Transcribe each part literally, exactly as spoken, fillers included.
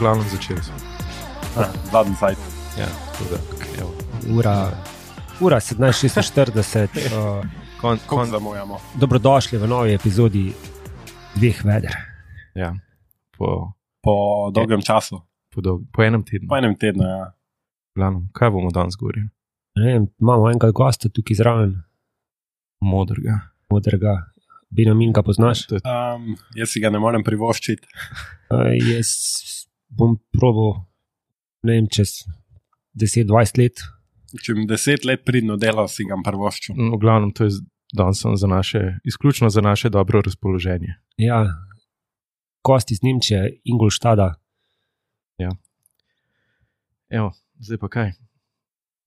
glavnem začeli smo. Zadnji sajt. Ja, tako da, evo. Ura, ura sedemnajst šestinštirideset. uh, Kon, Kako kon, zamujamo? Dobrodošli v novi epizodi Dveh veder. ja, po, Po dolgem času. po, dolg, po enem tednu. Po enem tednu, ja. Glavnem, kaj bomo danes govorili? Ne vem, imamo enega gosta tukaj zraven, Modrega. modrega. Benjamin, ga poznaš? To je, Um, jaz si ga ne morem privoščiti. Uh, jaz bom probal, ne vem, čez deset dvajset let. Če mi deset let pridno delal, si ga privoščil. no, v glavnem, to je danes sem za naše, izključno za naše dobro razpoloženje. Ja, gost iz Nemčije, Ingolštada. Evo, zdaj pa kaj?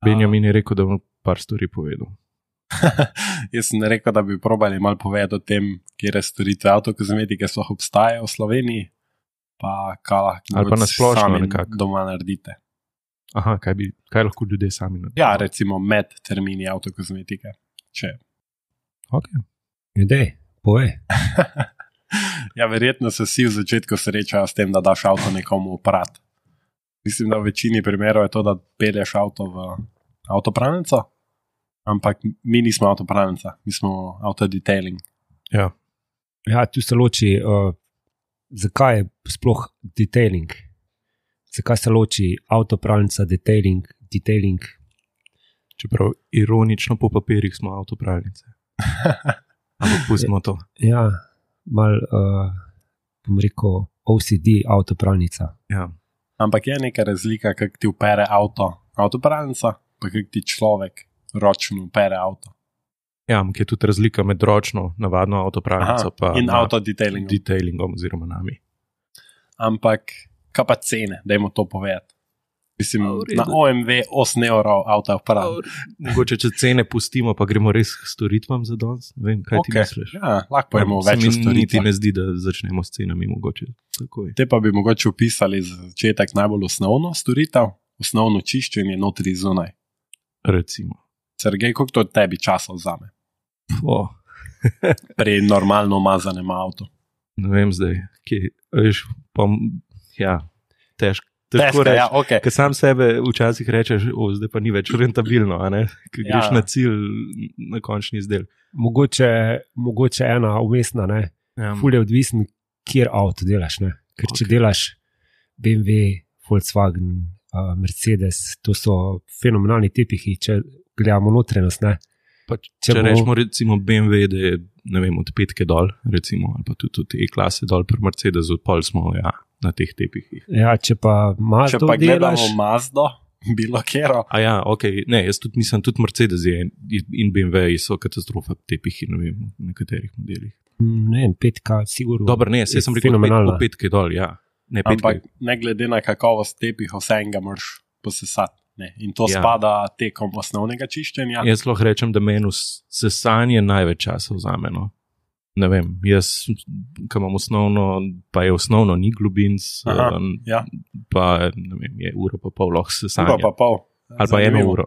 Benjamin je rekel, da bom par stvari povedal. Jaz sem rekel, da bi probali malo povedati o tem, kje storitve avtokozmetike sploh obstajajo v Sloveniji, pa kaj lahko Ali pa na splošno sami nekako. doma naredite. Aha, kaj, bi, kaj lahko ljudje sami naredijo? Ja, recimo med termini avtokozmetike. Če. Okay. Ljudje, povej. Ja, verjetno se vsi v začetku srečajo s tem, da daš avto nekomu oprat. Mislim, da v večini primerov je to, da pelješ avto v avtopralnico, ampak mi nismo avtopralnica, mi smo autodetailing. Ja. Ja, tu se loči, uh, zakaj je sploh detailing? Zakaj se loči avtopralnica, detailing, detailing? Čeprav ironično po papirjih smo avtopravnice. Ampak pustimo to. Ja, mal, uh, bom rekel, O C D avtopralnica. Ja. Ampak je neka razlika, kako ti upere avto avtopralnica, pa kako ti človek ročno upere avto. Ja, ampak je tudi razlika med ročno, navadno avtopravnico pa in na- autodetailingom. detailingom oziroma nami. Ampak kaj pa cene, dajmo to povedati. Mislim, A, v redu. na O M V osem evrov avto operat. Mogoče, če cene pustimo, pa gremo res k storitvam za danes. Ne vem, kaj okay. ti Okay. misliš? Ja, lahko pojmo Se več o mi niti storitvah. ne zdi, da začnemo s cenami mogoče takoj. Te pa bi mogoče upisali za začetek najbolj osnovno storitev, osnovno čiščenje notri zunaj. Recimo. Sergej, koliko to tebi časa vzame O, pri normalno umazanem avtu? ne vem zdaj, kje, veš, pa, m- ja, težko. Težko Težko, reči. ja, okay. Ker sam sebe včasih rečeš, o, zdaj pa ni več rentabilno, a ne? Ker Ja. greš na cilj, na končni izdelek. Mogoče, mogoče ena umestna, ne? Ja. Ful je odvisen, kjer avto delaš, ne? Ker če Ok. delaš B M W, Volkswagen, uh, Mercedes, to so fenomenalni tepihi, če gledamo notrenost, ne? Pa, če Če če bo- rečemo recimo B M W, da je ne vem, od petke dol, recimo, ali pa tudi od E-klase dol pri Mercedesu, pol smo ja, na teh tepihih. Ja, če pa Če Mazdo pa gledamo delaš, Mazdo, bilo kjero, A ja, ok, ne, jaz tudi mislim, tudi Mercedes je in B M W so katastrofa tepihi, ne vem, v nekaterih modelih. mm, ne vem, petka, sigurno. Dobro, ne, je saj sem rekel od pet, fenomenalna. od petke dol, ja. Ne, petke. ampak ne glede na kakovost tepihov, vse enega moraš posesati. Ne. In to Ja. ja. spada tekom osnovnega čiščenja. Jaz lahko rečem, da meni s- sesanje največ časa vzame. No. Ne vem, jaz, ki imam osnovno, pa je osnovno ni globinc, Aha, um, ja. pa ne vem, je uro pa pol lahko sesanje. Uro pa pol. Ali pa eno Zanimivo. uro.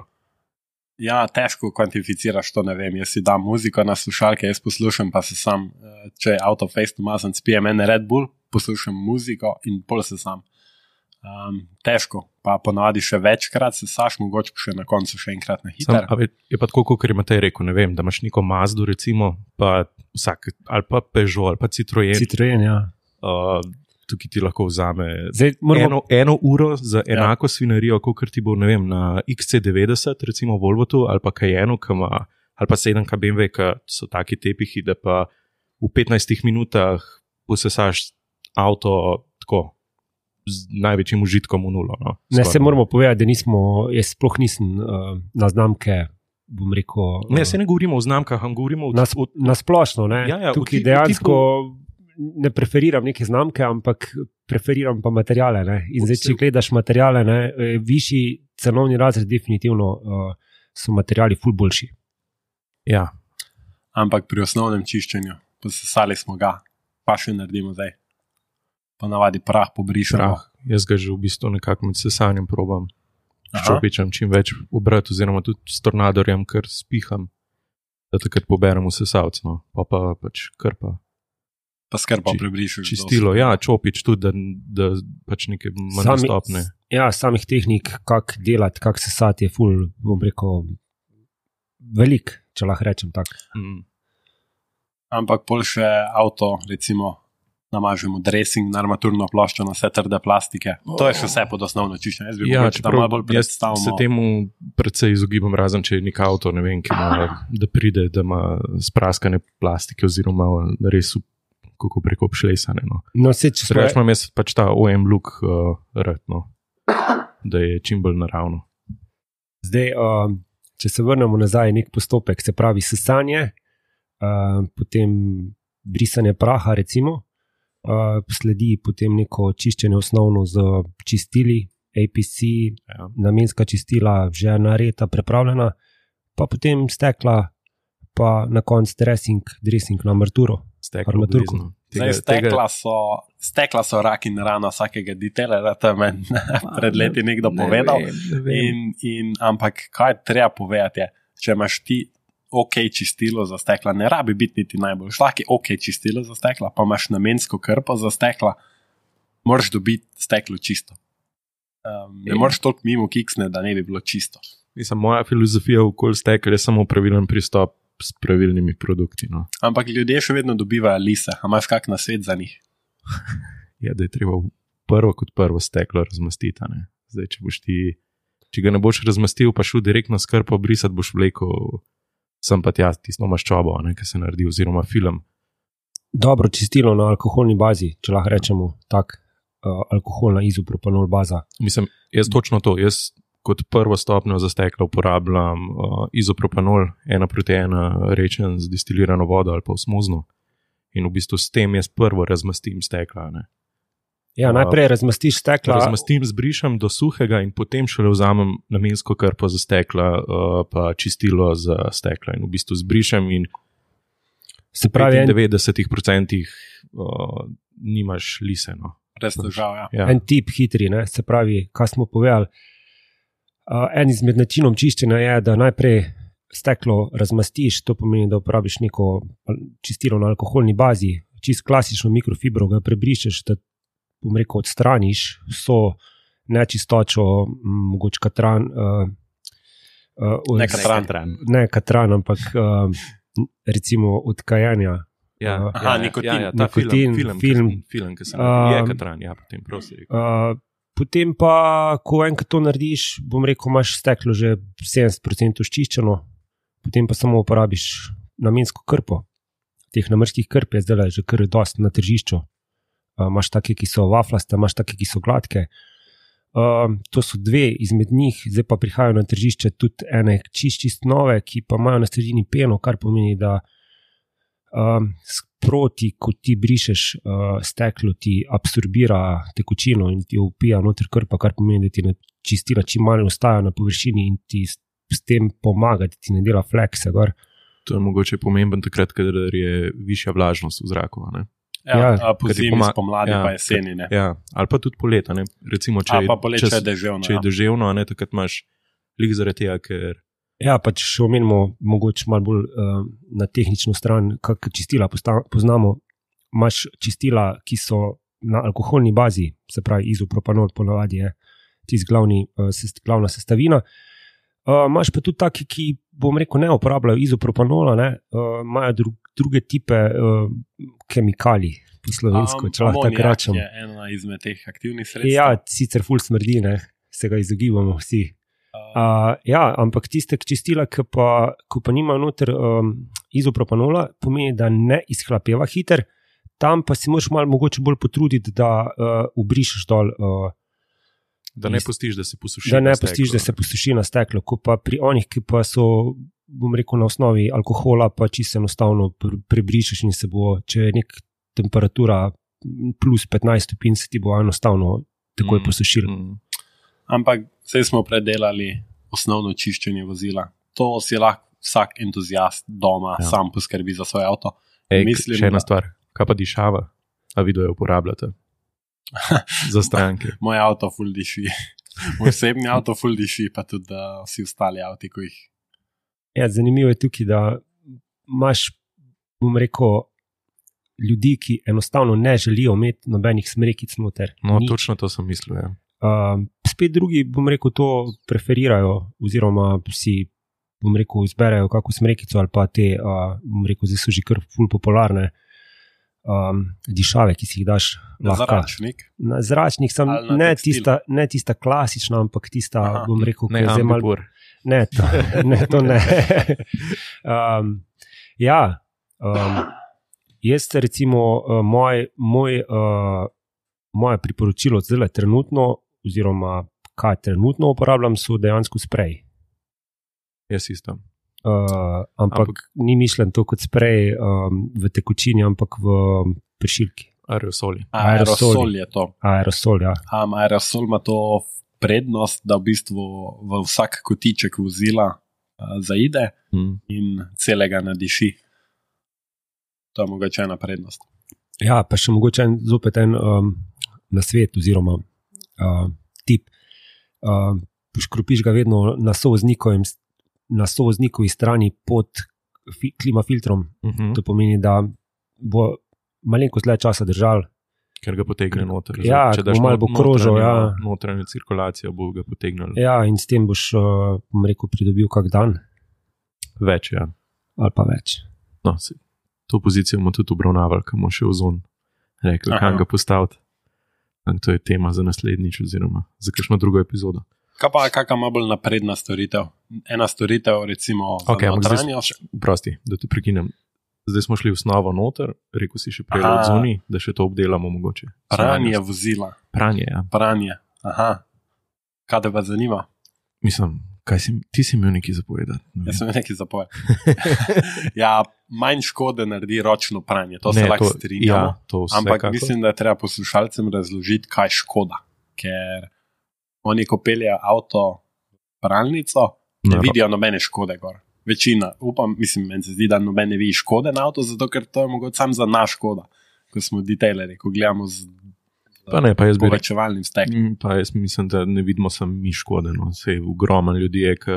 Ja, težko kvantificiraš to, ne vem. Jaz si dam muziko na slušalke, jaz poslušam, pa se sam, eh, če je avto face umazan, spijem en Red Bull, poslušam muziko in pol se sam. Um, težko, pa ponavadi še večkrat se saš, mogoče pa še na koncu še enkrat na Sam, hiter. a ve, je pa tako, kot je Matej rekel, ne vem, da imaš neko Mazdo, recimo, pa vsak, ali pa Peugeot, ali pa Citroen, Citroen, ja. uh, tukaj ti lahko vzame Zdaj moramo, eno, eno uro za enako ja. svinarijo, kot ti bo, ne vem, na X C devetdeset, recimo Volvotu, ali pa Cayenne, ki ima, ali pa sedem K B M W, ki so taki tepihi, da pa v petnajstih minutah posesaš avto tako, z največjim užitkom v nulo. No, ne, skoraj. se moramo povedati, da nismo, jaz sploh nisem uh, na znamke, bom rekel, Ne, uh, se ne govorimo o znamkah, ampak govorimo o na, sp- na splošno, ne? Ja, ja, v Tukaj ti- v dejansko ne preferiram neke znamke, ampak preferiram pa materijale, ne? In zdaj, če gledaš materijale, ne, eh, višji cenovni razred, definitivno uh, so materijali ful boljši. Ja, Ampak pri osnovnem čiščenju, posesali smo ga, pa še naredimo zdaj. Ponavadi prah pobrišemo. prah. Jaz ga že v bistvu nekako med sesanjem probam. Aha. Ščopičem čim več obrati, oziroma tudi s tornadorjem, ker spiham, da takrat poberem v sesalc, no, pa pa pač krpa. Pa skrbo prebrišeš. Čistilo, ja, čopič tudi, da, da pač neke manj Sami- dostopne. Ja, samih tehnik, kako delati, kako se sati, je ful, bom rekel, velik, če lahko rečem tako. Mm. Ampak pol še avto, recimo, namažemo dressing na armaturno ploščo, na vse trde plastike. To je še vse pod osnovno čiščenje. Jaz bi Ja, mogoče tam malo bolj čeprav jaz se predstavimo. temu predvsej izogibam, razen če je nek avto, ne vem, ki ima, da pride, da ima spraskane plastike oziroma res v- kako preko obšlesane. No. No, se, če smo, Drugač imam jaz pač ta O M look uh, rad, no. Da je čim bolj naravno. zdaj, uh, če se vrnemo nazaj, nek postopek, se pravi sesanje, uh, potem brisanje praha, recimo, uh, sledi potem neko čiščenje osnovno z čistili, A P C, Ja. namenska čistila, že nareta, prepravljena, pa potem stekla, pa na koncu dressing, dressing na armaturo. Steklo Armaturko. obvezno. Zdaj, stekla, so, stekla so rak in rana vsakega detailerja, to je meni pred leti nekdo povedal. Ne vem, ne vem. In, in, ampak kaj treba povedati, je, če imaš ti ok čistilo za stekla, ne rabi biti niti najbolj. Vsak je ok čistilo za stekla, pa imaš namensko krpo za stekla, moraš dobiti steklo čisto. Um, ne In- moreš toliko mimo kiksne, da ne bi bilo čisto. Mislim, moja filozofija okoli stekel je samo pravilen pristop s pravilnimi produkti. No. Ampak ljudje še vedno dobivajo lise, a imaš kak nasvet za njih? Je, da je treba prvo kot prvo steklo razmastiti. a Ne? Zdaj, če, boš ti, če ga ne boš razmastil, pa šel direktno s krpo brisati, boš vlekel sem pa tja tisto maščobo, a ne, ki se naredi, oziroma film. Dobro čistilo na alkoholni bazi, če lahko rečemo tak, uh, alkoholna izopropanol baza. Mislim, jaz točno to. Jaz kot prvo stopnjo za steklo uporabljam uh, izopropanol, ena proti ena rečen z destilirano vodo ali pa osmozno. In v bistvu s tem jaz prvo razmastim stekla. Ne. Ja, najprej razmastiš stekla. Razmastim, zbrišem do suhega in potem šele vzamem namensko krpo za stekla, uh, pa čistilo za stekla. In v bistvu zbrišem in Se pravi, en, devetdeset odstotkov uh, nimaš lise. No. Res težav, ja. Ja. en tip hitri, ne? Se pravi, kaj smo povedali. Uh, en izmed načinov čiščenja je, da najprej steklo razmastiš, to pomeni, da uporabiš neko al- čistilo na alkoholni bazi, čist klasično mikrofibro, ga prebrišeš, da bom rekel, odstraniš vso nečistočo, m, mogoče katran, uh, uh, Ne od- katran. ne katran, ampak uh, recimo od kajenja. Ja, Uh, Aha, nikotin. Ja, ja, ta Nikotin, film, film, film. film, film ki se naredi, je Um, katran, ja, potem prosi. Uh, potem pa, ko enkrat to narediš, bom rekel, imaš steklo že sedemdeset procentov ščiščeno, potem pa samo uporabiš namensko krpo. Teh namrskih krp je zdaj že kar dost na tržišču. Uh, imaš take, ki so vaflaste, imaš take, ki so gladke. Uh, to so dve izmed njih, zdaj pa prihajajo na tržišče tudi ene čist, čist nove, ki pa imajo na sredini peno, kar pomeni, da um, sproti, ko ti brišeš uh, steklo, ti absorbira tekočino in ti jo upija noter krpa, kar pomeni, da ti ne čistila čim manj ostaja na površini in ti s, s tem pomaga, da ti ne dela flekse gor. To je mogoče pomemben takrat, kadar je višja vlažnost v zraku. a Ne? Ja, Ja, ja, po ker ti zimi, poma- spomladi ja, pa jeseni. Ne. Ja, ali pa tudi poleta. Ne? Recimo, če, A je- pa poletje če, je deževno. če je ja. deževno, a ne, takrat imaš lik zaradi tega, ker Ja, pa če še omenimo mogoče malo bolj uh, na tehnično stran, kak čistila posta, poznamo, imaš čistila, ki so na alkoholni bazi, se pravi izopropanol ponavadi je tisti glavni, uh, sest, glavna sestavina. Uh, imaš pa tudi taki, ki, bom rekel, ne uporabljajo izopropanola, ne, uh, imajo dru, druge tipe uh, kemikalij, po slovensko, če lahko tako Amonijak rečem. je ena izmed teh aktivnih sredstev. Ja, sicer ful smrdi, ne, se ga izogibamo vsi. Uh, ja, ampak tiste čistila, ki pa, ko pa nimajo noter um, izopropanola, pomeni, da ne izhlapeva hiter, tam pa si moraš malo mogoče bolj potruditi, da uh, ubrišeš dol, uh, da ne Is- pustiš, da se posuši. da ne na steklo, pustiš, da se ne. posuši na steklo. Ko pa pri onih, ki pa so, bom rekel, na osnovi alkohola, pa čisto enostavno pre- prebrišeš in se bo, če je nek temperatura plus petnajst stopinj, se ti bo enostavno takoj Mm, posušil. mm. Ampak zdaj smo predelali osnovno čiščenje vozila. To si lahko vsak entuzijast doma Ja. ja. sam poskrbi za svoj avto. Ej, Mislim, še ena da- stvar, kaj pa dišava, a vi jo uporabljate za stranke. Moj avto ful diši. Moj osebni avto ful diši, pa tudi uh, vsi ostali avti, ko jih. Ja, zanimivo je tukaj, da imaš, bom rekel, ljudi, ki enostavno ne želijo imeti nobenih smrekic noter. No, Ni, točno to sem mislil. Ja. uh, spet drugi, bom rekel, to preferirajo, oziroma si, bom rekel, izberejo kako smrekico ali pa te, uh, bom rekel, zdaj so že kar ful popularne um, dišave, ki si jih daš lahko. Zračnik. Na zračnik sem, Ali na ne tekstil? tista, ne tista klasična, ampak tista, Aha. bom rekel, Ne, ki je zdaj malo. ambipur. Ne, to ne. To ne. um, ja, um, jaz recimo, uh, moj, moj, uh, moje priporočilo zdaj trenutno, oziroma kaj trenutno uporabljam, so dejansko sprej. Jaz isto. Uh, ampak, ampak ni mišljen to kot sprej um, v tekočini, ampak v pršilki. Aerosoli. Aerosoli. Aerosol je to. Aerosol, ja. Um, aerosol ima to prednost, da v bistvu v vsak kotiček vozila uh, zaide Mm. in celega nadiši. To je mogoče ena prednost. Ja, pa še mogoče en, zopet en um, nasvet oziroma uh, tip. Uh, Škropiš ga vedno na sovoznikovem na sovoznikovi strani pod fi, klimafiltrom. Mhm. To pomeni, da bo malenkost dlje časa držal. Ker ga potegne noter. Ja, Če ko daš malo bo not- krožil, notranjo- ja. Notranjo cirkulacijo bo ga potegnil. Ja, in s tem boš, uh, bom rekel, pridobil kak dan Več, ja. ali pa več. No, se, to pozicijo bomo tudi obravnavali, ko bomo še v zon rekli, Aha. kam ga postaviti. In to je tema za naslednjič oziroma za kakšno drugo epizodo. Kaj pa, kakšna ima bolj napredna storitev? Ena storitev, recimo, za Okay, ampak zdaj, notranjost. prosti, da te prekinem. Zdaj smo šli v osnovo noter, rekel si še prej Aha. od zoni, da še to obdelamo mogoče. Pranje vozila. Pranje, ja. Pranje. Aha. Kaj te pa zanima? Mislim, kaj si, ti si imel nekaj zapovedati. Ne Jaz vem. sem nekaj zapovedal. Ja, manj škode naredi ročno pranje, to se Ne, lahko to- strinjamo. ja, to Ampak vsekakor. mislim, da je treba poslušalcem razložiti, kaj je škoda. Ker oni, ko peljejo avto v pralnico, ne No, vidijo nobene škode gor. Večina, upam, mislim, meni se zdi, da noben ne vidi škode na avto, zato ker to je mogoče sam za naš škoda, ko smo detailerji, ko gledamo z Pa ne, pa jaz bi rekel, povečevalnim stekom. Mm, pa jaz mislim, da ne vidimo samo mi škode. No. Sej ogromno ljudi je, ki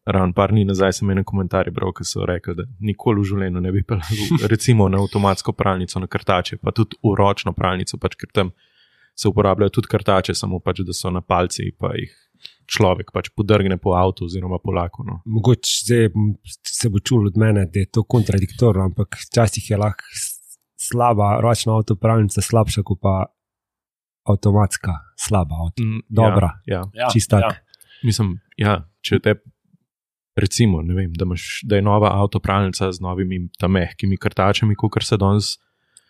ravno par dni nazaj sem ene komentarje bral, ki so rekli, da nikoli v življenju ne bi peljal recimo na avtomatsko pralnico, na krtače, pa tudi v ročno pralnico, pač ker tam se uporabljajo tudi krtače, samo pač, da so na palci, pa jih človek pač podrgne po avtu oziroma po laku. No. Mogoče zdaj se bo čul od mene, da je to kontradiktorno, ampak včasih je lahko s- slaba ročna avtopravnica slabša kot pa avtomatska slaba avto. Mm, Dobra. Ja, ja. Ja, Čist tak. ja. Mislim, ja, če te recimo, ne vem, da, imaš, da je nova avtopravnica z novimi tam mehkimi krtačami, kot se danes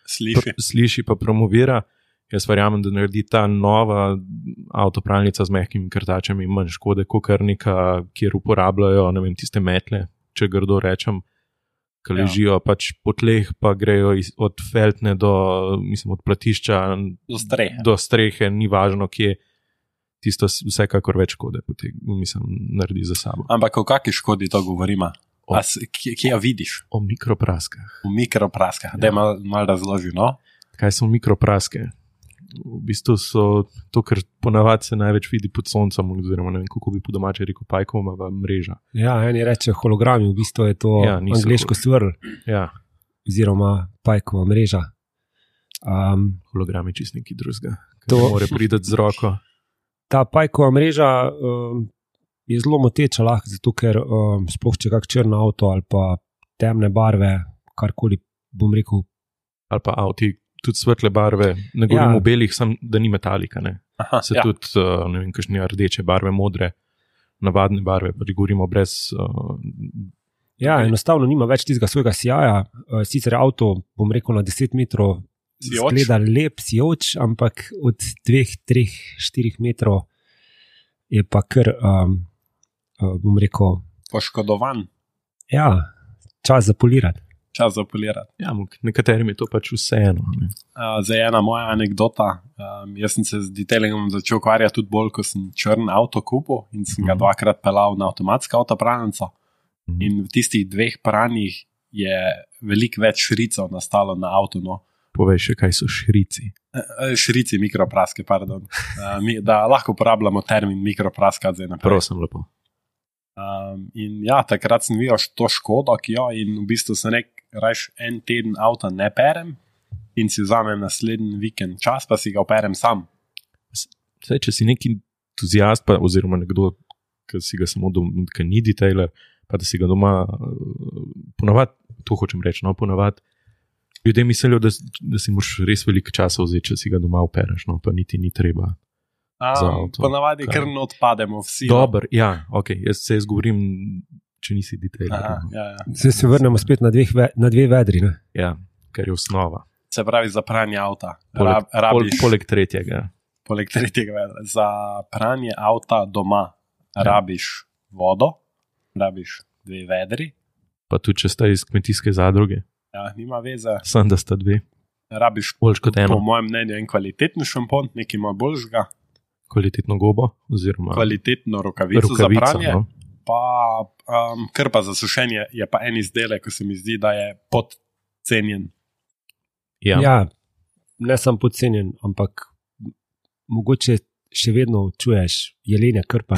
Sliši. pr- sliši pa promovira. Jaz verjamem, da naredi ta nova avtopravnica z mehkimi krtačami manj škode, kot kar neka, kjer uporabljajo ne vem, tiste metle, če grdo rečem, ki Ja. ležijo pač po tleh, pa grejo iz, od feltne do, mislim, od platišča Do strehe. do strehe, ni važno, kje. Tisto s- vsekakor več škode potem, mislim, naredi za sabo. Ampak o kakšni škodi to govorimo? O- A s- Kje, kje jo vidiš? O mikropraskah. V mikropraskah. Ja. Da je mal, mal razloži, no? Kaj so mikropraske? V bistvu so to, kar ponavadi se največ vidi pod soncem, oziroma ne vem, kako bi po domače rekel, pajkovama mreža. Ja, eni reče hologrami, v bistvu je to Ja, ja, niso angleško svrl Ja, oziroma pajkova mreža. Um, hologrami čist neki drugega. To- To mora priti z roko. ta pajkova mreža um, je zelo moteča lahko, zato ker um, sploh če kak črn avto ali pa temne barve, karkoli bom rekel, Ali pa avti, tudi svetle barve, ne govorim Ja. o belih, sem, da ni metalika. Ne. Aha, Se ja. tudi, uh, ne vem, kakšne rdeče barve, modre, navadne barve, pa govorimo brez. Uh, ja, enostavno nima več tistega svojega sijaja. Uh, sicer je avto, bom rekel, na deset metrov Sijoč. zgleda lep, sijoč, ampak od dveh, treh, štirih metrov je pa kar, um, uh, bom rekel, Poškodovan, ja, čas za polirati. čas za polirati. ja, ampak nekaterim je to pač vseeno. ne. Uh, zdaj ena moja anekdota. Um, jaz sem se z detailingom začel ukvarjati tudi bolj, ko sem črn avto kupil in sem ga Mhm. dvakrat pelal na avtomatsko avtopravnico. Mhm. In v tistih dveh pranjih je veliko več šricov nastalo na avtu. No. Povej še, kaj so šrici. Eh, Šrici, mikropraske, pardon. Uh, mi, da lahko uporabljamo termin mikropraska zdaj naprej. Prosim, lepo. Um, in ja, takrat sem videl to škodo, ki jo in v bistvu sem rekel, rajš en teden avta ne perem in si vzamem naslednji vikend čas, pa si ga operem sam. Saj, če si neki entuzijast, pa, oziroma nekdo, ki si ga samo doma, ki ni detailer, pa da si ga doma, ponavad, to hočem reči, no, ponavad, ljudje mislijo, da, da si moraš res veliko časa vzeti, če si ga doma opereš, no, pa niti ni treba. A, ponavadi kar ne odpademo vsi. Dobar, ja, ok, jaz se jaz govorim, če nisi detailer. Aha, ja, ja. Zdaj se vrnemo spet na, dveh, na dve vedri. Ne? Ja, ker je osnova. Se pravi za pranje avta. Poleg, Rab, rabiš, poleg tretjega. Poleg tretjega vedra. Za pranje avta doma ja. rabiš vodo, rabiš dve vedri. Pa tudi, če sta iz kmetijske zadruge. Ja, nima veze. Sam, da sta dve. Rabiš, boljš kot eno. Po mojem mnenju, en kvalitetni šampon, nekaj ima boljšega. Kvalitetno gobo, oziroma kvalitetno rokavico, rokavico za pranje. No. Pa um, krpa za sušenje je pa en izdelek, ko se mi zdi, da je podcenjen. Ja. ja, ne sem podcenjen, ampak mogoče še vedno čuješ jelenja krpa.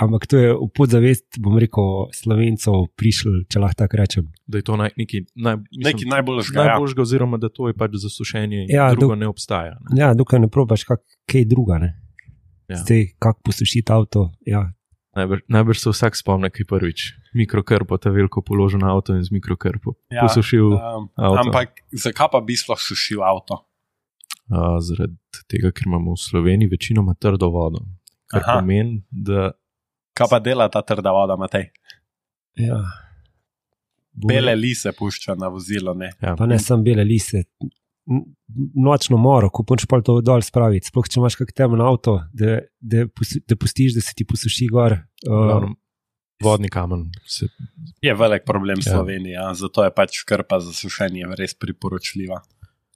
Ampak to je v podzavest, bom rekel, Slovencov prišel, če lahko tako rečem. Da je to naj, neki, naj, mislim, neki najboljšega. Najboljšega, ja. Oziroma da to je pač za sušenje in ja, drugo dok, ne obstaja. Ne? Ja, dokaj ne probaš kak, kaj druga. Ne? Ja. Zdaj, kako posušiti avto. Ja. Najbrž, najbrž se vsak spomne, kaj prvič. Mikrokrpo, ta veliko položen avto in z mikrokrpo ja, posušil um, avto. Ampak zakaj pa bi sploh sušil avto? Uh, zaradi tega, ker imamo v Sloveniji večinoma trdo vodo. Kar Aha. pomeni, da... Kaj pa dela ta trda voda, Matej? Ja. Bele lise pušča na vozilo, ne? Ja. Pa ne samo bele lise. Nočno moro, ko punč pa to dol spraviti. Sploh, če imaš kak temen avto, da, da, da pustiš, da se ti posuši gor. Uh, Vodni kamen. Se... Je velik problem v ja. Sloveniji, ja. Zato je pač krpa za sušenje res priporočljiva.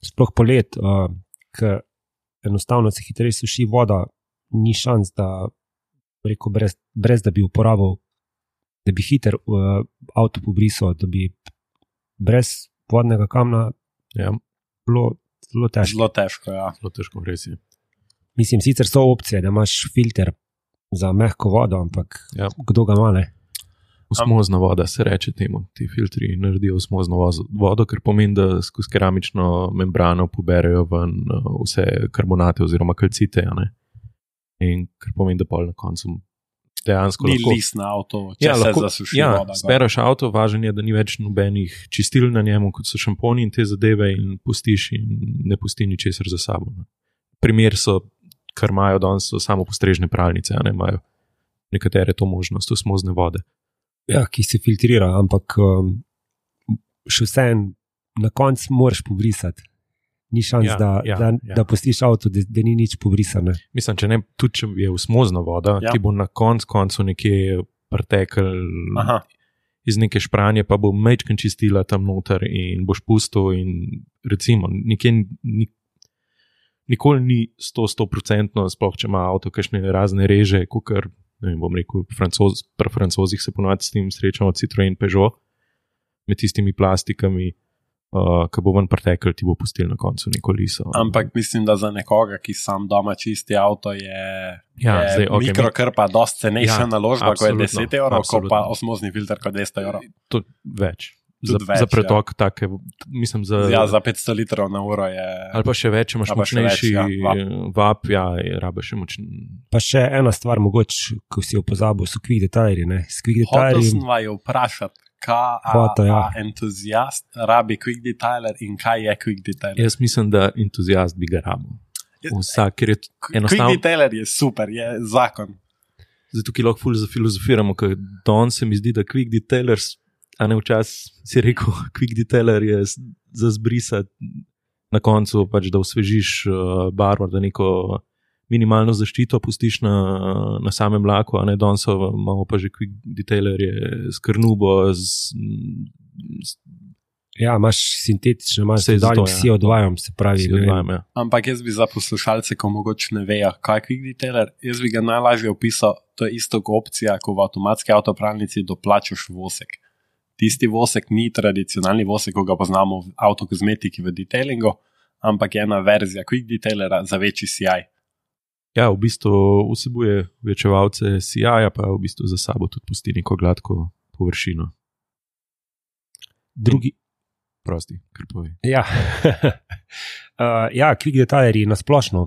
Sploh polet, uh, ker enostavno se hitreje suši voda, ni šans, da rekel, brez, brez da bi uporabil, da bi hiter uh, avto pobrisal, da bi brez vodnega kamna ja. bilo zelo težko. Zelo težko, ja. Zelo težko, res je. Mislim, sicer so opcije, da imaš filter za mehko vodo, ampak ja. Kdo ga ima, ne? Osmozna voda se reče temu. Ti filtri naredijo osmozno vodo, ker pomeni, da skozi keramično membrano poberejo ven vse karbonate oziroma kalcite, ja, ne? In kar pomeni, da pol na koncu dejansko ni lahko... Ni list na avto, če ja, se lahko, zasuši ja, voda. Spereš avto, važen je, da ni več nobenih čistil na njemu, kot so šamponi in te zadeve in pustiš in ne pusti ničesar za sabo. Ne. Primer so, kar imajo danes, so samo postrežne pralnice, a ne imajo nekatere to možnost, osmozne vode. Ja, ki se filtrira, ampak um, še vsem na koncu moraš pobrisati. Ni šans, ja, da, ja, da, ja. da pustiš avto, da, da ni nič pobrisane. Mislim, če ne, tudi če je osmozna voda, ja. Ti bo na konc, koncu nekje pretekel iz neke špranje, pa bo mečken čistila tam noter in boš pustil in recimo, nekje ni, nikoli ni sto, sto procentno, sploh če ima avto kakšne razne reže, kukar, ne vem, bom rekel, francoz, pri francozih se ponovati s tem srečamo Citroen Peugeot, med tistimi plastikami, Uh, ko bo ven pretekel, ti bo pustil na koncu neko liso. Ampak mislim, da za nekoga, ki sam doma čisti avto, je, ja, je zdaj, okay, mikrokrpa dosti cenejša ja, naložba, ko je deset evrov, ko pa osmozni filter, ko je dvesto evrov. To več. Za, več, za pretok ja. take, mislim za... Ja, za petsto litrov na uro je... Ali pa še več, če imaš močnejši več, ja, vap, ja, rabe še močn... Pa še ena stvar, mogoče, ko si jo pozabil, so quick detaileri, ne? S quick detaileri... Hotel sem vaju vprašati, kaj Foto, ja. entuzijast rabi quick detailer in kaj je quick detailer? Jaz mislim, da entuzijast bi ga rabil. Vsak, ker je enostavno... Quick detailer je super, je zakon. Zdaj tukaj lahko ful zafilozofiramo, ker don se mi zdi, da quick detailers, a ne včasih si rekel, quick detailer je za zbrisati na koncu, pač da osvežiš barvo, da neko minimalno zaščito pustiš na, na samem laku, a ne danes imamo pa že quick detailerje s krnubo, z, z ja, imaš sintetično, imaš dodaljim vsi odvajam, se pravi. Odvajam, ja. Ampak jaz bi za poslušalce, ko mogoče ne vejo, kaj je quick detailer, jaz bi ga najlažje opisal, to je isto opcija, ko v avtomatski avtopralnici doplačaš vosek. Tisti vosek ni tradicionalni vosek, ko ga poznamo v avtokozmetiki v detailingu, ampak je ena verzija quick detailera za večji C I. Ja, v bistvu vsebuje večevalce C I-ja, pa v bistvu za sabo tudi pusti neko gladko površino. drugi... Prosti, kar povej. Ja, uh, ja quick detailerji nasplošno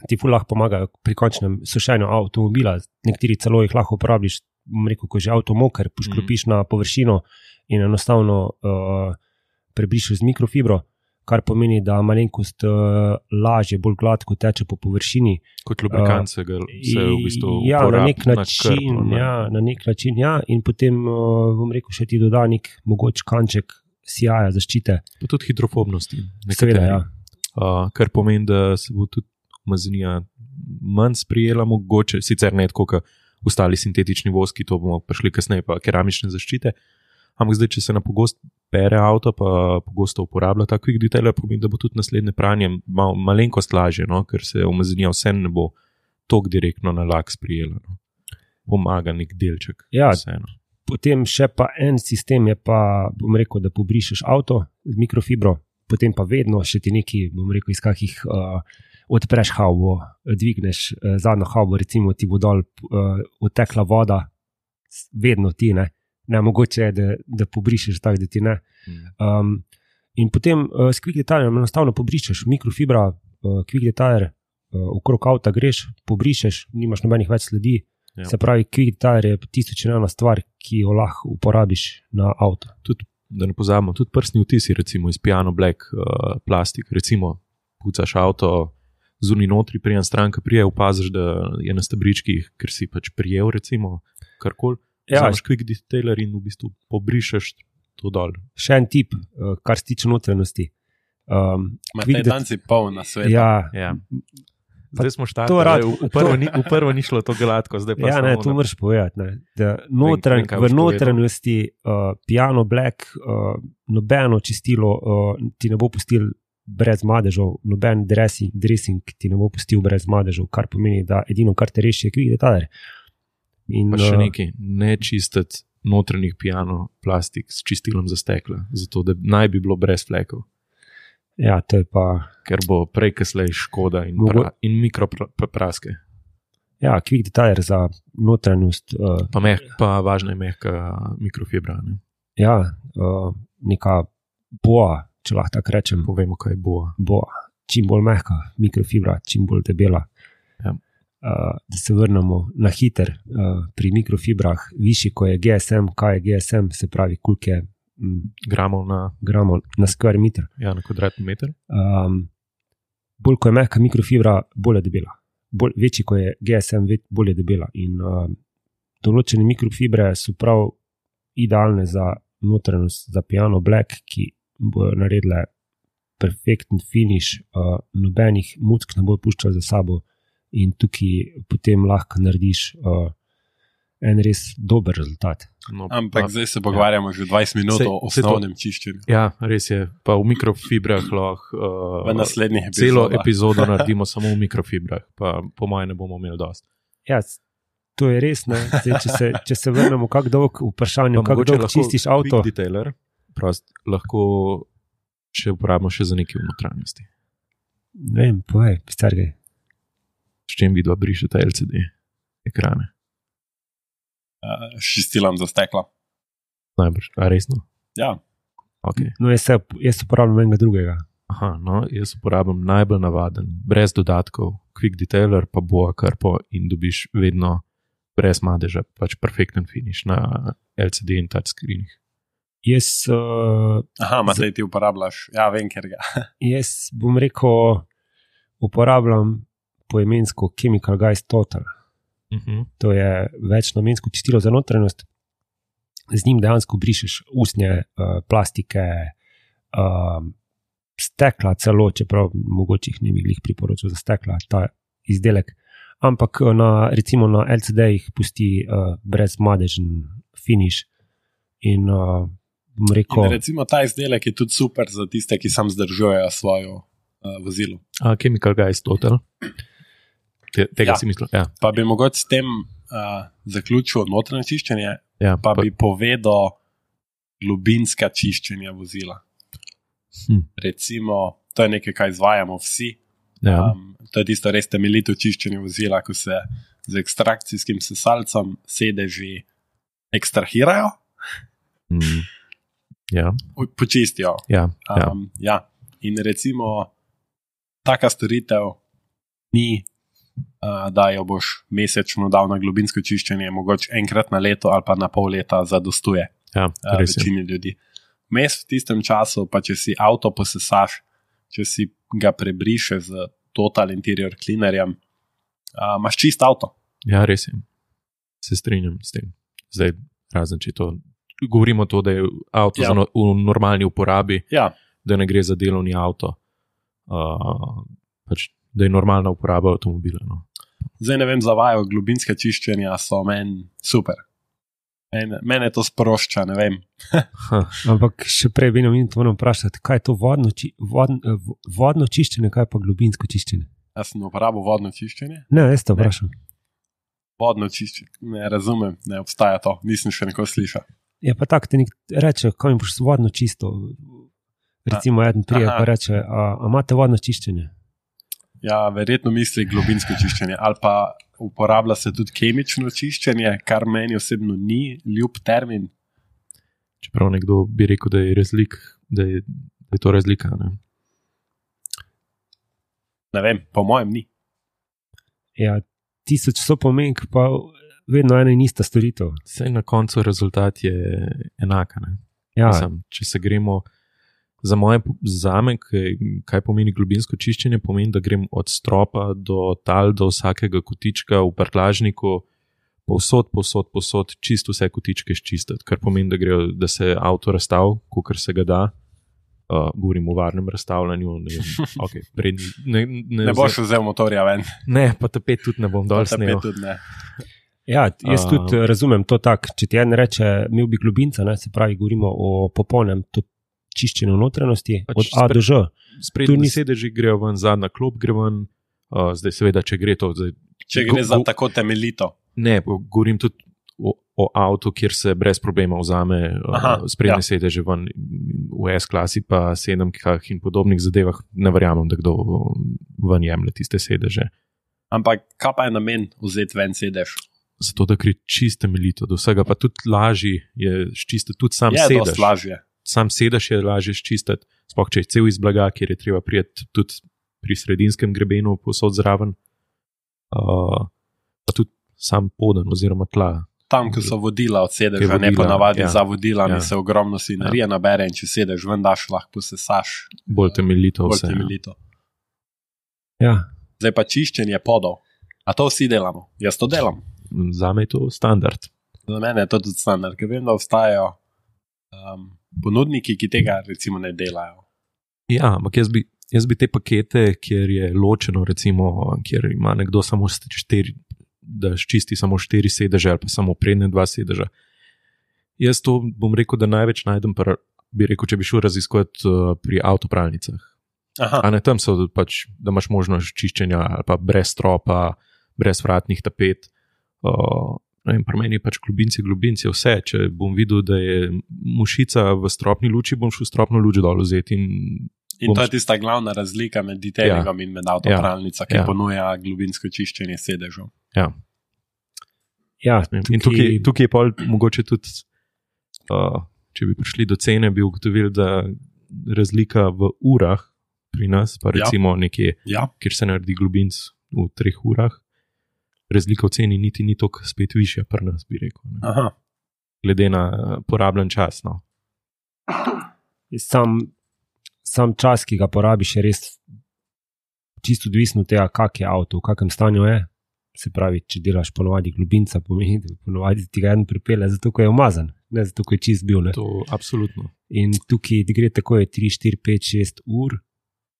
ti ful lahko pomagajo pri končnem sušenju avtomobila. Nekateri celo jih lahko uporabiš, bom rekel, ko že avto moker, poškropiš mm. na površino in enostavno uh, prebrišeš z mikrofibro, kar pomeni, da malenkost uh, lažje, bolj gladko teče po površini. Kot lubrikant se ga se v bistvu ja, uporab, na nek način, na krp, ja, na nek način, ja, in potem, uh, bom rekel, še ti doda nek mogoč kanček sijaja, zaščite. Pa tudi hidrofobnosti. Seveda, ja. Uh, kar pomeni, da se bo tudi umazanija manj sprijela, mogoče, sicer ne tako, kot ostali sintetični voski, to bomo prišli kasneje, pa keramične zaščite. Ampak zdaj, če se na pogost pere avto, pa pogosto uporablja ta quick detailer, pomeni, da bo tudi naslednje pranje mal, malenkost lažje, no? Ker se umazanija vse ne bo tok direktno na lak sprijela. No? Pomaga nek delček. Ja, vseeno. Potem še pa en sistem je pa, bom rekel, da pobrišeš avto z mikrofibro, potem pa vedno še ti neki, bom rekel, iz kakih uh, odpreš havbo, dvigneš uh, zadnjo havbo, recimo ti bo dol uh, odtekla voda, vedno ti, ne, ne mogoče je, da, da pobrišeš tak, da ti ne. Um, in potem uh, s quick detailerjem enostavno pobrišeš, mikrofibra, uh, quick detailer, uh, okrog avta greš, pobrišeš, nimaš nobenih več sledi, ja. Se pravi, quick detailer je tisto činjena stvar, ki jo lahko uporabiš na avto. Tudi, da ne pozabimo, tudi prstni vtisi, recimo iz piano black uh, plastik, recimo pucaš avto, zunaj notri, prijem stranka prije, opaziš, da je na stebričkih, ker si pač prijel, recimo, karkoli. Ja, vzameš quick detailer in v bistvu pobrišeš to dol. Še en tip, kar se tiče notranjosti. Um, Matej dan si poln na svetu. Ja, ja. Zdaj smo štartali, v, v, v prvo ni šlo to gladko, zdaj pa ja, ne, to moraš povedati, ne, da notranj, v notranjosti uh, piano black, uh, nobeno čistilo uh, ti ne bo pustil brez madežev, noben dressing, dressing ti ne bo pustil brez madežev, kar pomeni, da edino, kar te reši, je quick detailer. In, pa še nekaj, ne čistiti notranjih piano plastik s čistilom za stekla, zato da naj bi bilo brez flekov. Ja, to je pa... Ker bo prej kaslej škoda in, Mogo... pra, in mikropraske. Ja, quick detailer za notranjost. Uh... Pa, meh, pa važna je mehka mikrofibra. Ne? Ja, uh, neka boa, če lahko tako rečem. Povemo, kaj je boa. Boa, čim bolj mehka mikrofibra, čim bolj debela. Ja. Uh, da se vrnemo na hiter uh, pri mikrofibrah, višji, ko je G S M, kaj je G S M, se pravi, koliko je mm, gramov na, gramov na square meter. Ja, na kvadratni meter. Um, bolj, ko je mehka mikrofibra, bolj je debela. Bolj, večji, ko je G S M, bolj je debela. In uh, določene mikrofibre so prav idealne za notranjost, za piano black, ki bojo naredile perfekten finish, uh, nobenih muck ne bo puščal za sabo. In tukaj potem lahko narediš uh, en res dober rezultat. No, Ampak pa, zdaj se pogovarjamo ja. že dvajset minut se, o osnovnem čiščenju. Ja, res je. Pa v mikrofibrah lahko uh, v naslednjih epizodah. Celo epizodo naredimo samo v mikrofibrah, pa po mojem ne bomo imeli dosti. Ja, to je res. Ne? Zdaj, če, se, če se vrnemo kak dolg vprašanju, kako dolgo čistiš avto. Quick detailer, prost, lahko še uporabimo še za nekaj v notranjosti. Ne vem, povej, stargaj. S čem vidva brišete L C D ekrane? Uh, Šistilom za stekla. Najbrž, a resno? Ja. Okay. No, jaz, se, jaz uporabljam enega drugega. Aha, no, jaz uporabljam najbolj navaden, brez dodatkov, quick detailer, pa boa karpo in dobiš vedno brez madeža, pač perfekten finish na L C D in touchscreenih. Jaz... Uh, Aha, Matej, ti uporabljaš. Ja, vem, ker ga. Jaz bom rekel, uporabljam poimensko Chemical Guys Total. Uh-huh. To je večnamensko čistilo za notranjost. Z njim dejansko brišeš usnje, uh, plastike, uh, stekla celo, čeprav mogoče jih ne bi glih priporočil za stekla, ta izdelek. Ampak na, recimo na L C D-jih pusti uh, brez madežen finish. In, uh, rekel, in recimo ta izdelek je tudi super za tiste, ki sam zdržujejo svojo uh, vozilo. A, Chemical Guys Total. Tega ja. si mislil, ja. Pa bi mogoče s tem uh, zaključil notranje čiščenje, ja, pa, pa bi pa... povedal globinska čiščenja vozila. Hm. Recimo, to je nekaj, kaj izvajamo vsi. Ja. Um, to je tisto res temeljito čiščenje vozila, ko se z ekstrakcijskim sesalcem sedeži ekstrahirajo. Hm. Ja. Počistijo. Ja, ja. Um, ja. In recimo, taka storitev ni, uh, da jo boš mesečno dal na globinsko čiščenje, mogoče enkrat na leto ali pa na pol leta zadostuje Ja, uh, večini ljudi. Vmes v tistem času, pa če si avto posesaš, če si ga prebrišeš z Total Interior Cleanerjem, uh, imaš čist avto. Ja, res je. Se strinjam s tem. Zdaj, razen če to, govorimo to, da je avto Ja. za no, v normalni uporabi, Ja, da ne gre za delovni avto, uh, pač, da je normalna uporaba avtomobila. No. zdaj ne vem, zavajo globinske čiščenja so meni super. Mene, mene to sprošča, ne vem. Ampak še prej bi nam moram vprašati, kaj je to vodno, či, vodno, vodno čiščenje, kaj pa globinsko čiščenje? Jaz sem uporabil vodno čiščenje. Ne, jaz te vprašam. Vodno čiščenje, ne razumem, ne obstaja to, nisem še nekaj slišal. Je pa tako, te nek reče, kaj mi boš vodno čisto. Recimo, eden prije Aha. pa reče, a, a imate vodno čiščenje? Ja, verjetno misli globinsko čiščenje, ali pa uporablja se tudi kemično čiščenje, kar meni osebno ni ljub termin. Čeprav nekdo bi rekel, da je, razlik, da je, da je to razlika. Ne? Ne vem, po mojem ni. Ja, tisoč so pomenk, pa vedno ena in ista storitev. Saj na koncu rezultat je enaka. Ne? Ja, Mislim, če se gremo za moje, zame, kaj, kaj pomeni globinsko čiščenje, pomeni, da grem od stropa do tal, do vsakega kotička v prtljažniku, povsod, povsod, povsod, čisto vse kotičke ščistiti, kar pomeni, da, grejo, da se avto razstav, kolikor se ga da. Uh, govorim o varnem razstavljanju. Ne, vem, okay, pred, ne, ne, Ne boš vzel motorja ven. ne, pa tapet tudi ne bom dol Tapet snel. tudi ne. ja jaz A- tudi razumem to tako. Če ti en reče, imel bi globinca, ne, se pravi, govorimo o popolnem to čiščenju notranjosti, Pač od A do Ž. Sprednji Tu ni- sedeži grejo ven, zadnja klop gre ven, uh, zdaj seveda, če gre to. Zdaj, Če go- gre za go- tako temeljito. Ne, govorim tudi o, o avtu, kjer se brez problema vzame Aha, uh, sprednje ja. ja. sedeže ven, v S-klasi pa sedemkah in podobnih zadevah. Ne verjamem, da kdo ven jemlje tiste sedeže. Ampak kaj pa je namen vzeti ven sedež? Zato, da gre čisto temeljito, do vsega pa tudi lažje je ščistiti, tudi sam Je sedež. dosti lažje. Sam sedež je lažje ščistiti, sploh če je cel iz blaga, kjer je treba prijeti tudi pri sredinskem grebenu posod zraven, uh, pa tudi sam poden oziroma tla. Tam, ko so vodila od sedeža, Kaj ne vodila, pa navadi ja. za vodilami, Ja. se ogromno svinarije nabere in če sedeš ven, daš lahko posesaš Bolj temeljito bolj vse. ja. temeljito. Ja. Zdaj pa čiščenje podov. A to vsi delamo? Jaz to delam. Zame je to standard. Za mene je to tudi standard, ker vem, da obstajajo um, ponudniki, ki tega recimo ne delajo. Ja, ampak jaz bi, jaz bi te pakete, kjer je ločeno, recimo, kjer ima nekdo samo štiri, da ščisti samo štiri sedeže ali pa samo prednje dva sedeža. Jaz to bom rekel, da največ najdem, pa bi rekel, če bi šel raziskovati uh, pri avtopralnicah. Aha, A ne tam so pač, da imaš možnost čiščenja ali pa brez stropa, brez vratnih tapet. Uh, ne vem, pri meni je pač globinci, globinci, vse. Če bom videl, da je mušica v stropni luči, bom šel stropno luč dol vzeti in in bom to je tista glavna razlika med detailingom ja. in med avtopralnico, ki Ja. ja. ponuja globinsko čiščenje sedežev. Ja. Ja, In tukaj, tukaj je pol mogoče tudi, uh, če bi prišli do cene, bi ugotovili, da razlika v urah pri nas, pa recimo ja. nekje, Ja, kjer se naredi globinc v treh urah, razlika v ceni niti ni toliko spet višja pri nas, bi rekel. Ne. aha. Glede na porabljen čas. No. sam, sam čas, ki ga porabiš, je res čisto odvisno od tega, kak je avto, v kakem stanju je. Se pravi, če delaš ponovadi globinca, pomeni, da ponovadi ti ga en pripelje, zato ko je umazan, ne zato ko je čist bil. Ne? To absolutno. In tukaj gre tako je tri, štiri, pet, šest ur.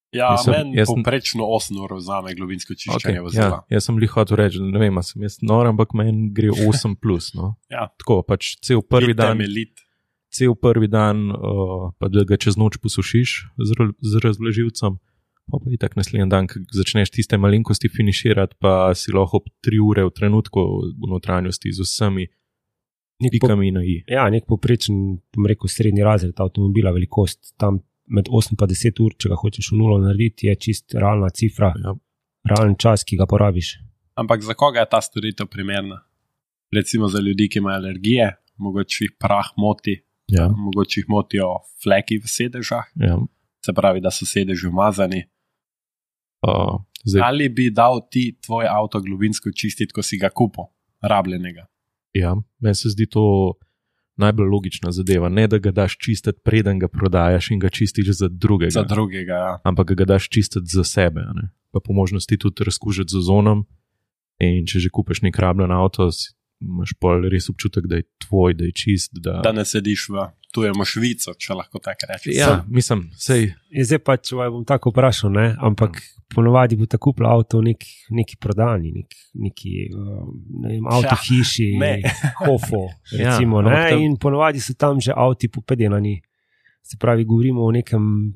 Ja, Jaz sem- meni jaz sem- povprečno osem ur vzame globinsko čiščenje Okay, okay, vozila. ja, jaz sem li hotel reči, ne vem, a sem jaz nor, ampak meni gre osem plus. No. Ja. Tako, pač cel prvi dan, Temeljit. cel prvi dan uh, pa da ga čez noč posušiš z, ra- z razvlažilcem, pa pa itak naslednji dan, ko začneš tiste malenkosti finiširati, pa si lahko ob tri ure v trenutku v notranjosti z vsemi Nek po, pikami na i. ja, nek poprečen, bom rekel, srednji razred avtomobila, velikost tam med osem pa deset ur, če ga hočeš v nulo narediti, je čist realna cifra, Ja. realen čas, ki ga porabiš. Ampak za koga je ta storitev primerna? Recimo za ljudi, ki imajo alergije, mogoče jih prah moti, Ja. Mogoče jih motijo fleki v sedežah, Ja. se pravi, da so sedeži umazani. Uh, zdaj, Ali bi dal ti tvoj avto globinsko čistiti, ko si ga kupil, rabljenega? ja, meni se zdi to najbolj logična zadeva. Ne, da ga daš čistiti, preden ga prodajaš in ga čistiš za drugega. Za drugega, ja. Ampak ga daš čistiti za sebe. a Ne? Pa po možnosti tudi razkužiti z ozonom. In če že kupiš nek rabljen avto, si- imaš pol res občutek, da je tvoj, da je čist. Da, Da ne sediš v tujemu Švico, če lahko tako rečeš. ja, mislim, sej, In zdaj pa, če bom tako vprašal, ne, ampak ponovadi bo tako kupil avto v nek, neki prodani, nek, neki uh, ne vem, avto hiši, ne. hofo, Ja, recimo, ampak ne, tam- in ponovadi so tam že avti popedenani. Se pravi, govorimo o nekem,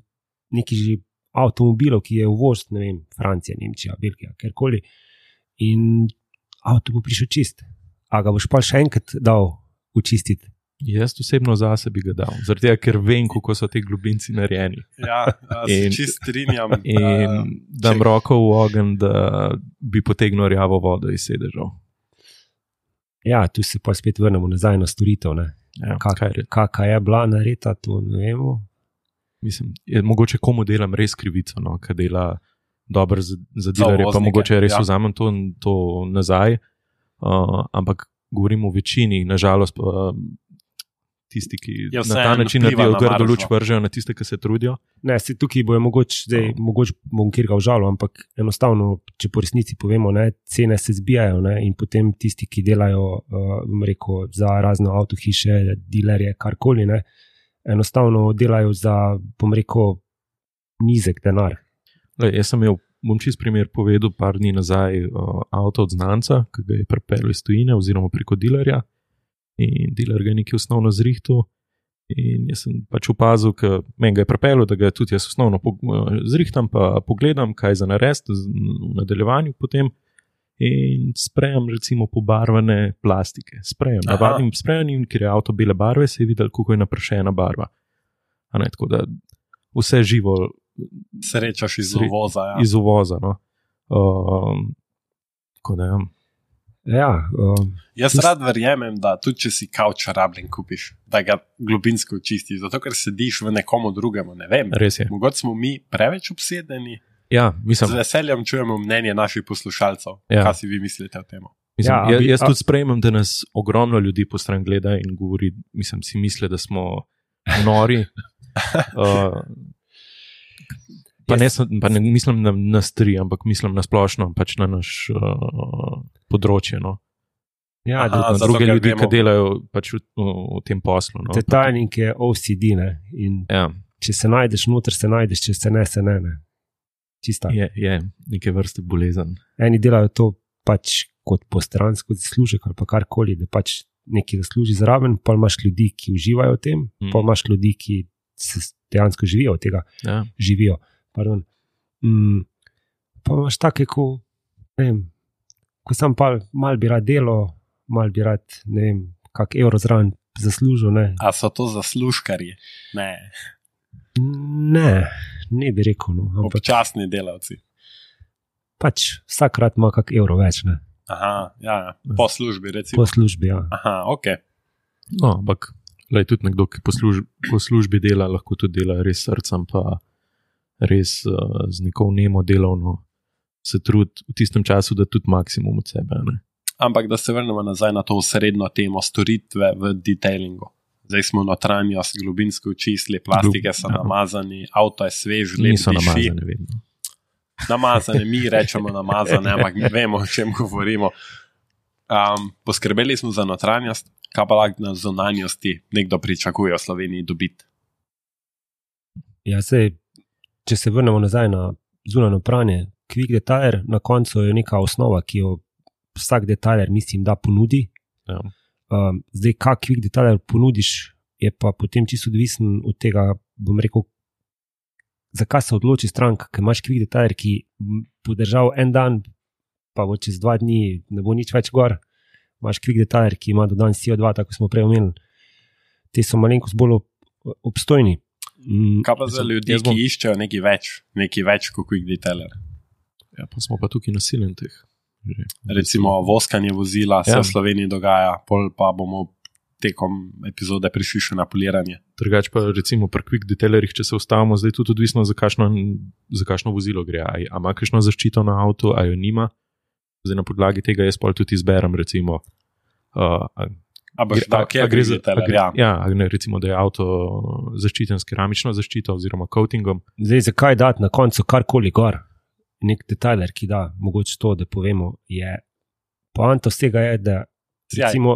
neki že avtomobilu, ki je uvoz, ne vem, Francija, Nemčija, Belgija, kjerkoli. In avto bo prišel čist. A ga boš pa še enkrat dal učistiti? jaz osebno zase bi ga dal. Zaradi tega, ker vem, kako so ti globinci narejeni. Ja, ja se In- čist strinjam. In Uh, dam če- roko v ogenj, da bi potegnil rjavo vodo iz sedežev. Ja, tu se pa spet vrnemo nazaj na storitev. Ne. Ja, Kak, kaj re- kaka je bila nareta, to ne vemo. Mislim, je, mogoče komu delam res krivico, no, ki dela dobro za, za Za dilerje, pa uvoznike, mogoče res ja. vzamem to, to nazaj. Uh, ampak govorim o večini, nažalost, pa tisti, ki Ja, na ta vseeno način vpliva naredijo na grdo luč, maržo. vržejo na tiste, ki se trudijo. Ne, se tukaj bojo mogoče, zdaj, mogoče bom kjer ga užalil, ampak enostavno, če po resnici povemo, ne, cene se zbijajo ne, in potem tisti, ki delajo uh, bom rekel, za razno avtohiše, dilerje, karkoli, ne, enostavno delajo za, bom rekel, nizek denar. Lej, jaz sem imel, bom čist primer povedal, par dni nazaj uh, avto od znanca, ki ga je pripeljal iz tujine oziroma preko dilerja. In diler ga je nekaj osnovno zrihtal. In jaz sem pač opazil, da meni ga je pripeljal, da ga tudi jaz osnovno po, zrihtam, pa pogledam, kaj za narediti v nadaljevanju potem. In sprejem recimo pobarvane plastike. Sprejem, Aha. navadnim sprejem, ker je avto bele barve, se je videl, kako je naprašena barva. A ne, tako da vse živo Srečaš iz Sre- uvoza. Ja. iz uvoza. No. Um, tako da, ja. Ja, um, Jaz rad verjamem, da tudi če si kavč rabljen kupiš, da ga globinsko očistiš, zato ker sediš v nekomu drugemu. Ne vem, Res je. mogoče smo mi preveč obsedeni. Ja, Z mislim, veseljem čujemo mnenje naših poslušalcev. Ja. Kaj si vi mislite o tem? mislim Ja, a ja, bi- jaz a- tudi sprejemam, da nas ogromno ljudi po stran gleda in govori, mislim, si misli, da smo nori. Uh, pa, ne, sem- pa ne mislim na nas tri, ampak mislim na splošno, pač na naš uh, področje. No. ja, Aha, da, zato, Druge ker ljudi, vemo- ki delajo pač v, v tem poslu. No. te tajnik je O C D, ne, in Ja, če se najdeš noter, se najdeš, če se ne, se ne, ne. Čista. je, je neke vrste bolezen. Eni delajo to pač kot postransko zaslužek ali pa karkoli, da pač nekaj zasluži zraven, pa imaš ljudi, ki uživajo v tem, Mm. mm. pa imaš ljudi, ki se dejansko živijo od tega, Ja. živijo. Pardon. Mm. Pa imaš take, ko, ne vem, ko sam pa mal bi rad delo, mal bi rad, ne vem, kak evro zraven zaslužil, ne. A so to zaslužkarji? Ne, Ne, ne bi rekel, no, ampak občasni delavci. pač vsakrat ima kak evro več, ne, Aha, ja, ja. Po službi, recimo. po službi, ja. Aha, ok. No, ampak lej, tudi nekdo, ki po, služ, po službi dela, lahko tudi dela res s srcem, pa res uh, z neko vnemo delovno se trudi v tistem času, da tudi maksimum od sebe. Ne? Ampak da se vrnemo nazaj na to srednjo temo storitve v detailingu. Zdaj smo notranjost globinsko očistili, plastike so Ja. namazani, avto je svež, lep Niso diši. namazane vedno. Namazane, mi rečemo namazane, ampak mi vemo, o čem govorimo. Um, poskrbeli smo za notranjost, kaj pa lahko na zunanjosti nekdo pričakuje v Sloveniji dobiti. Ja, sej, če se vrnemo nazaj na zunanjo pranje, Quick Detailer, na koncu je neka osnova, ki jo vsak detailer, mislim, da ponudi. Ja. Um, zdaj, kak Quick Detailer ponudiš, je pa potem čisto odvisen od tega, bom rekel, zakaj se odloči stranka, ker imaš Quick Detailer, ki bo držal en dan, pa bo čez dva dni ne bo nič več gor. Imaš Quick Detailer, ki ima dodan C O dva, tako smo prej omenili. Te so malenkost bolj ob- obstojni. Mm, Kaj pa za Mislim, ljudi, jaz bom- ki iščejo nekaj več, nekaj več kot quick detailer? Ja, pa smo pa tukaj nasilni teh. Že. Recimo voskanje vozila se Ja. v Sloveniji dogaja, pol pa bomo tekom epizode prišli še na poliranje. Drugač pa recimo pri quick detailerjih, če se ustavimo, zdaj tudi odvisno, za kakšno, za kakšno vozilo gre. A ima kakšno zaščito na avtu, a jo nima. Zdaj na podlagi tega jaz pol tudi izberem, recimo. Uh, a, a boš dal, kje gre za detailer? Ja, ja ne, recimo, da je avto zaščiten s keramično zaščito oziroma coatingom. Zdaj, zakaj dati na koncu karkoli gor? Nek detailer, ki da, mogoče to, da povemo, je poanta vsega je, da recimo,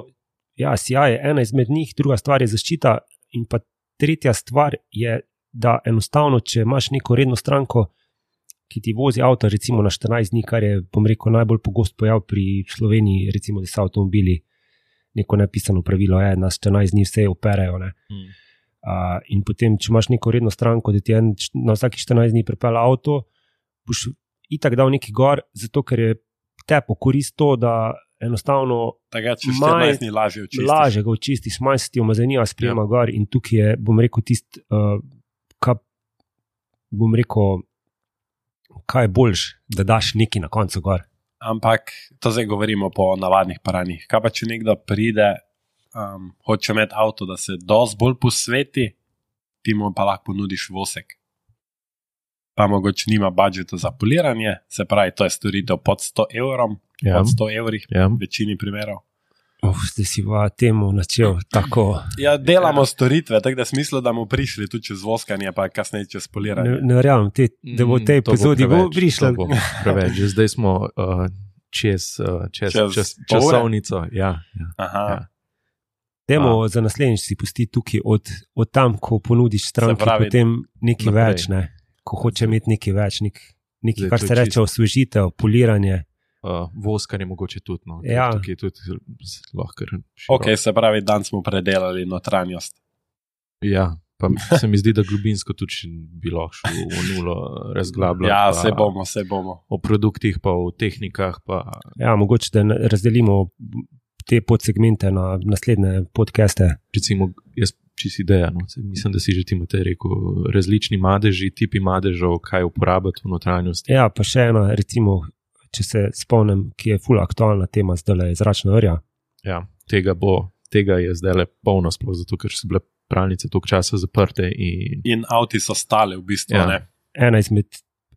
ja, sijaj je ena izmed njih, druga stvar je zaščita in pa tretja stvar je, da enostavno, če imaš neko redno stranko, ki ti vozi avto recimo na štirinajst dni, kar je, bom rekel, najbolj pogost pojav pri Sloveniji, recimo, da so avtomobili, neko nepisano pravilo je, na štirinajst dni vse operejo, ne. Hmm. Uh, in potem, če imaš neko redno stranko, da ti en, na vsaki štirinajst dni pripelje avto, boš itak dal neki gor, zato ker je te pokorist to, da enostavno Takrat, če štirinajst dni lažje očistiš. Lažje ga očistiš, manj se ti umazanija sprejema ja. Gor in tukaj je, bom rekel, tist, uh, kaj, bom rekel, kaj je boljš, da daš neki na koncu gor. Ampak to zdaj govorimo po navadnih paranjih. Kaj pa, če nekdo pride, um, hoče imeti avto, da se dosti bolj posveti, ti mu pa lahko ponudiš vosek. Pa mogoče nima budžeta za poliranje, se pravi, to je storitev pod sto evrom, ja. Pod sto evrih, ja. V večini primerov. Uf, zdaj si pa temu načel tako. Ja, delamo storitve, tako da smislo, da mu prišli tudi čez voskanje, pa kasneje čez poliranje. Ne, ne verjamem, te, da bo v tej epizodi bo prišlo. Preveč, že zdaj smo uh, čez, uh, čez, čez, čez časovnico. Ja, ja, Aha. Ja. Demo za naslednjič si pusti tukaj od, od tam, ko ponudiš stranki, potem nekaj naprej. Več, ne? Ko hoče imeti nekaj več, nek, nekaj, zdaj, kar se reče osvežitev, poliranje. Uh, voskanje mogoče tudi, no. Ja. Tukaj tudi lahko široko. Ok, se pravi, dan smo predelali notranjost. Ja, pa se mi zdi, da globinsko tudi bi lahko šlo v nulo razglabljati. Ja, se bomo, se bomo. O produktih, pa o tehnikah. Pa... Ja, mogoče, da razdelimo te podsegmente na naslednje podcaste. Recimo, jaz čisi ideja, no. Mislim, da si že ti imate rekel, različni madeži, tipi madežov, kaj uporabiti v notranjosti. Ja, pa še ena, recimo, če se spomnim, ki je ful aktualna tema, zdaj je zračna vrja. Ja, tega bo, tega je zdaj le polno sploh, zato ker so bile pralnice toliko časa zaprte. In, in avti so stale v bistvu, ja. Ne? Ena izmed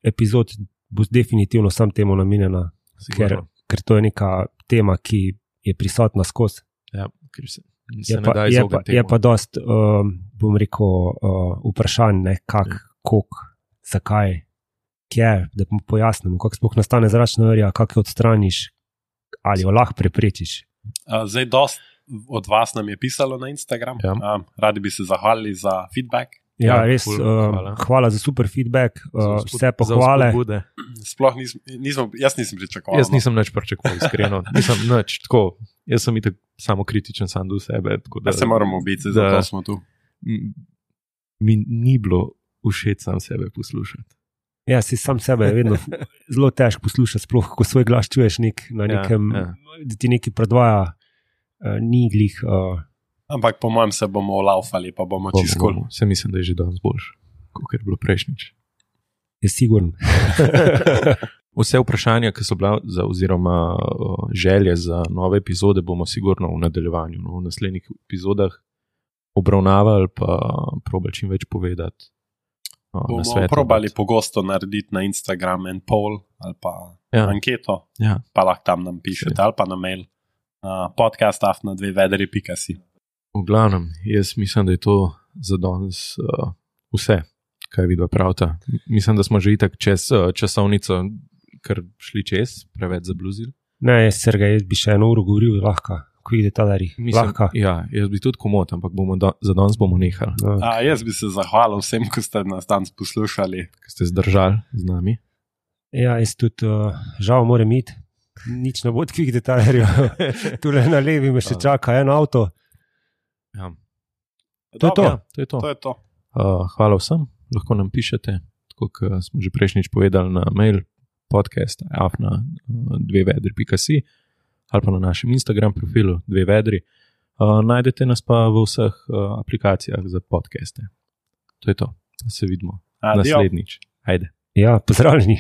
epizod bo definitivno sam temu namenjena, ker, ker to je neka tema, ki je prisotna skozi. Ja, ker se... Je pa, je, pa, je pa dost, um, bom rekel, uh, vprašanj, ne, kak, ja. Kok, zakaj, kje, da pojasnimo, kako sploh nastane zračna vrja, kako jo odstraniš, ali jo lahko preprečiš. Uh, zdaj, dost od vas nam je pisalo na Instagram, ja. um, radi bi se zahvalili za feedback. Ja, ja res, ful, uh, hvala. hvala za super feedback, uh, vse pohvale. Sploh nisem, nisem, jaz nisem pričakoval. Jaz nisem nič pričakoval, iskreno. Nisem nič, tako, jaz sem itak samo kritičen sam do sebe. Tako da, ja se moramo biti, zato smo tu. Mi ni bilo všeč sam sebe poslušati. Ja, si sam sebe je vedno zelo težko poslušati, sploh, ko svoj glas čuješ nek, na nekem, ja, ja. Da ti nekaj predvaja, uh, ni glih... Uh, Ampak po mojem se bomo laufali, pa bomo čisto skoli. Se mislim, da je že danes boljš, kot je bilo prejšnjič. Je sigurno. Vse vprašanja, ki so bila za, oziroma uh, želje za nove epizode, bomo sigurno v nadaljevanju, no, v naslednjih epizodah obravnavali, pa probali čim več povedati. Uh, bomo svetu, probali od... pogosto narediti na Instagram en poll ali pa ja. Anketo, ja. Pa lahko tam nam pišete ali pa na mail na podcast afna dve vedri pika si. V glavnem, jaz mislim, da je to za danes uh, vse, kaj vidva pravta. Mislim, da smo že itak čez uh, časovnico kar šli čez, preveč zabluzili. Ne, jaz, Sergej, jaz bi še eno uro govoril, lahko, ko ide ta dari. Lahko. Ja, jaz bi tudi komot, ampak bomo do, za danes bomo nehali. Okay. A, jaz bi se zahvalil vsem, ko ste nas danes poslušali. Ko ste zdržali z nami. Ja, jaz tudi uh, žal moram iti. Nič ne bo odkvih detajlerjev. Tule na levi me še čaka en avto. Ja. To, je to. Ja, to je to. to, je to. Uh, hvala vsem, lahko nam pišete, tako kot smo že prejšnjič povedali na mail podcast afna dve vedri pika si ali pa na našem Instagram profilu dve vedri. Uh, najdete nas pa v vseh uh, aplikacijah za podcaste. To je to, da se vidimo Adio. Naslednjič. Ajde. Ja, pozdravljeni.